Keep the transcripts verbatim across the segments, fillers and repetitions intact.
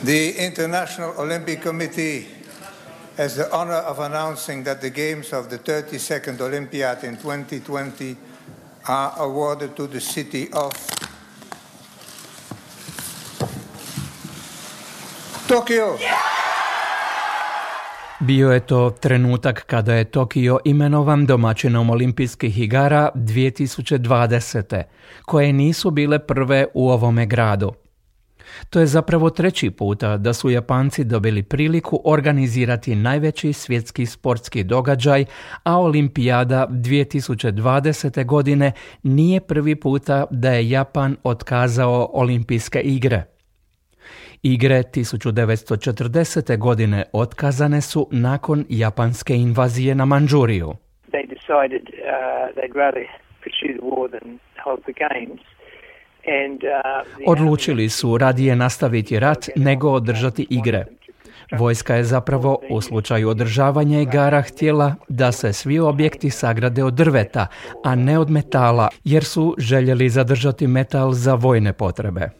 The International Olympic Committee has the honor of announcing that the games of the thirty-second Olympiad in twenty twenty are awarded to the city of Tokyo. Bio je to trenutak kada je Tokio imenovan domaćinom olimpijskih igara dvije tisuće dvadesete, koje nisu bile prve u ovome gradu. To je zapravo treći puta da su Japanci dobili priliku organizirati najveći svjetski sportski događaj, a Olimpijada dvije tisuće dvadesete godine nije prvi puta da je Japan otkazao olimpijske igre. Igre tisuću devetsto četrdesete godine otkazane su nakon japanske invazije na Mandžuriju. They decided uh, they'd rather pursue the war than hold the games. And, uh, the Odlučili su radije nastaviti rat nego održati igre. Vojska je zapravo u slučaju održavanja igara htjela da se svi objekti sagrade od drveta, a ne od metala, jer su željeli zadržati metal za vojne potrebe.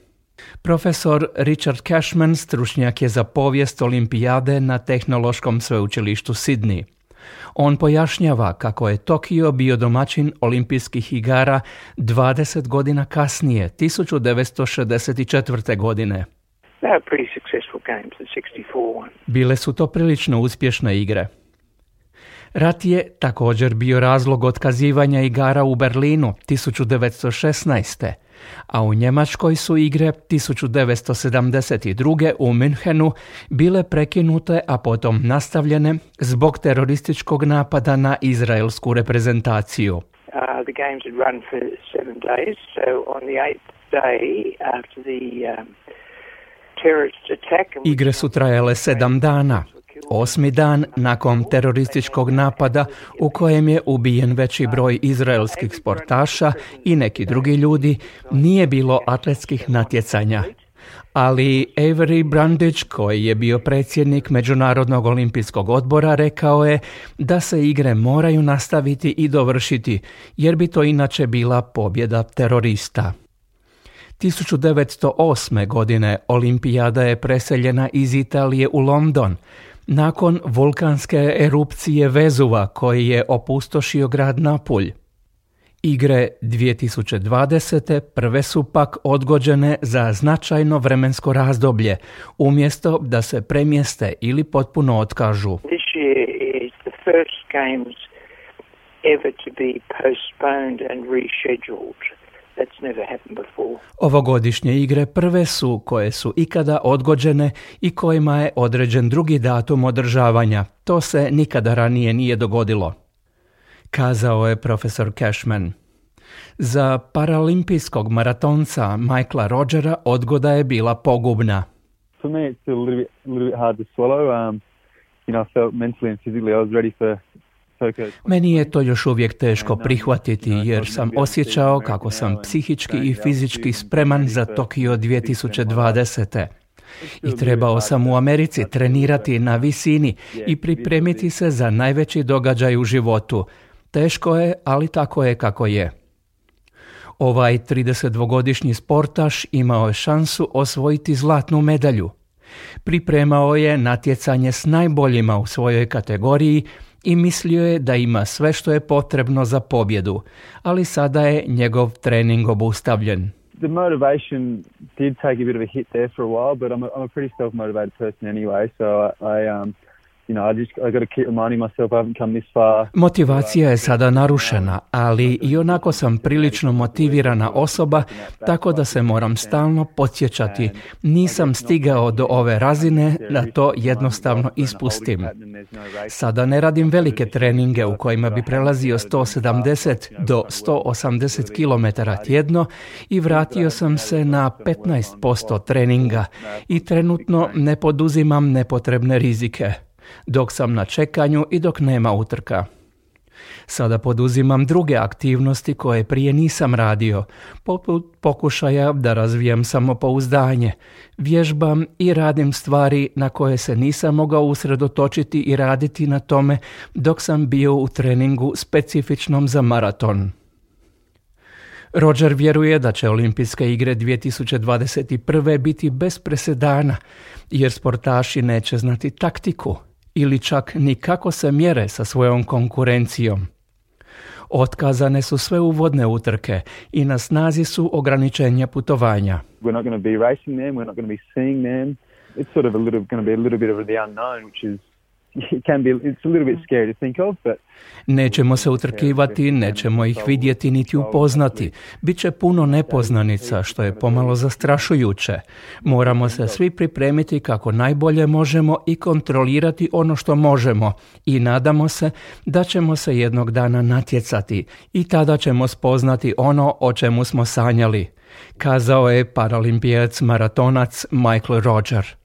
Profesor Richard Cashman stručnjak je za povijest olimpijade na Tehnološkom sveučilištu Sidney. On pojašnjava kako je Tokio bio domaćin olimpijskih igara dvadeset godina kasnije, tisuću devetsto šezdeset četvrte. godine. Bile su to prilično uspješne igre. Rat je također bio razlog otkazivanja igara u Berlinu tisuću devetsto šesnaeste. a u Njemačkoj su igre tisuću devetsto sedamdeset druge. u Münchenu bile prekinute, a potom nastavljene zbog terorističkog napada na izraelsku reprezentaciju. Uh, the games had run for seven days, so on the eighth day after the um, terrorist attack... Igre su trajale sedam dana. Osmi dan nakon terorističkog napada u kojem je ubijen veći broj izraelskih sportaša i neki drugi ljudi, nije bilo atletskih natjecanja. Ali Avery Brundage, koji je bio predsjednik Međunarodnog olimpijskog odbora, rekao je da se igre moraju nastaviti i dovršiti, jer bi to inače bila pobjeda terorista. tisuću devetsto osme. godine olimpijada je preseljena iz Italije u London, nakon vulkanske erupcije Vezuva koji je opustošio grad Napulj. Igre dvije tisuće dvadesete. prve su pak odgođene za značajno vremensko razdoblje, umjesto da se premjeste ili potpuno otkažu. This year is the first games ever to be postponed and rescheduled. That's never happened before. Ovogodišnje igre prve su koje su ikada odgođene i kojima je određen drugi datum održavanja. To se nikada ranije nije dogodilo, kazao je profesor Cashman. Za paralimpijskog maratonca Michaela Rogera odgoda je bila pogubna. For me it's a little bit, a little bit hard to swallow. Um, you know, I felt mentally and physically I was ready for Meni je to još uvijek teško prihvatiti, jer sam osjećao kako sam psihički i fizički spreman za Tokio dvije tisuće dvadesete. I trebao sam u Americi trenirati na visini i pripremiti se za najveći događaj u životu. Teško je, ali tako je kako je. Ovaj tridesetdvogodišnji sportaš imao je šansu osvojiti zlatnu medalju. Pripremao je natjecanje s najboljima u svojoj kategoriji i mislio je da ima sve što je potrebno za pobjedu, ali sada je njegov trening obustavljen. The motivation did take a bit of a hit there for a while, but I'm a, I'm a pretty self-motivated person anyway, so I, I um You know, I just I got to keep reminding myself I haven't come this far. Motivacija je sada narušena, ali i onako sam prilično motivirana osoba, tako da se moram stalno podsjećati. Nisam stigao do ove razine da to jednostavno ispustim. Sada ne radim velike treninge u kojima bi prelazio sto sedamdeset do sto osamdeset kilometara tjedno i vratio sam se na petnaest posto treninga i trenutno ne poduzimam nepotrebne rizike, dok sam na čekanju i dok nema utrka. Sada poduzimam druge aktivnosti koje prije nisam radio, poput pokušaja da razvijam samopouzdanje, vježbam i radim stvari na koje se nisam mogao usredotočiti i raditi na tome dok sam bio u treningu specifičnom za maraton. Roger vjeruje da će Olimpijske igre dvije tisuće dvadeset prve biti bez presedana, jer sportaši neće znati taktiku ili čak ni kako se mjere sa svojom konkurencijom. Otkazane su sve uvodne utrke i na snazi su ograničenja putovanja. We're not going to be racing them, we're not going to be seeing them. It's sort of a little going to be a little bit of the unknown, which is it can be it's a little bit scary to think of, but nećemo se utrkivati, nećemo ih vidjeti niti upoznati. Biće puno nepoznanica, što je pomalo zastrašujuće. Moramo se svi pripremiti kako najbolje možemo i kontrolirati ono što možemo i nadamo se da ćemo se jednog dana natjecati i tada ćemo spoznati ono o čemu smo sanjali, kazao je paralimpijac maratonac Michael Roger.